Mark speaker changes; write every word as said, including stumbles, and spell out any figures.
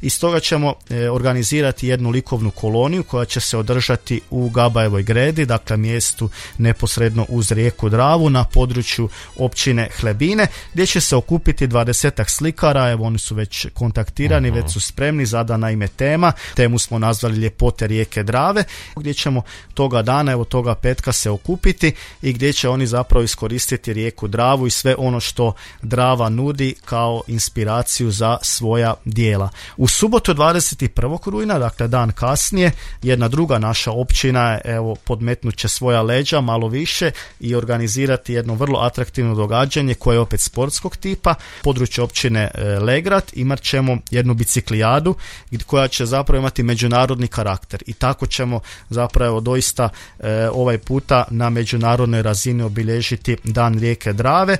Speaker 1: i stoga ćemo e, organizirati jednu likovnu koloniju koja će se održati u Gabajevoj gredi, dakle mjestu neposredno uz rijeku Dravu na području općine Hlebine, gdje će se okupiti dvadesetak slikara. Evo, oni su već kontaktirani, uh-huh. već su spremni, zadana im je tema. Temu smo nazvali Ljepote rijeke Drave, gdje ćemo toga dana, evo toga petka se okupiti i gdje će oni zapravo iskoristiti rijeku Dravu i sve ono što Drava nudi kao inspiraciju za svoja djela. U subotu dvadeset prvog rujna, dakle dan kasnije, jedna druga naša općina evo podmetnut će svoja leđa malo više i organizirati jedno vrlo atraktivno događanje koje je opet sportskog tipa. Područje općine Legrad imat ćemo jednu biciklijadu koja će zapravo imati međunarodni karakter i tako ćemo zapravo doista e, ovaj puta na međunarodnoj razini obilježiti dan rijeke Drave.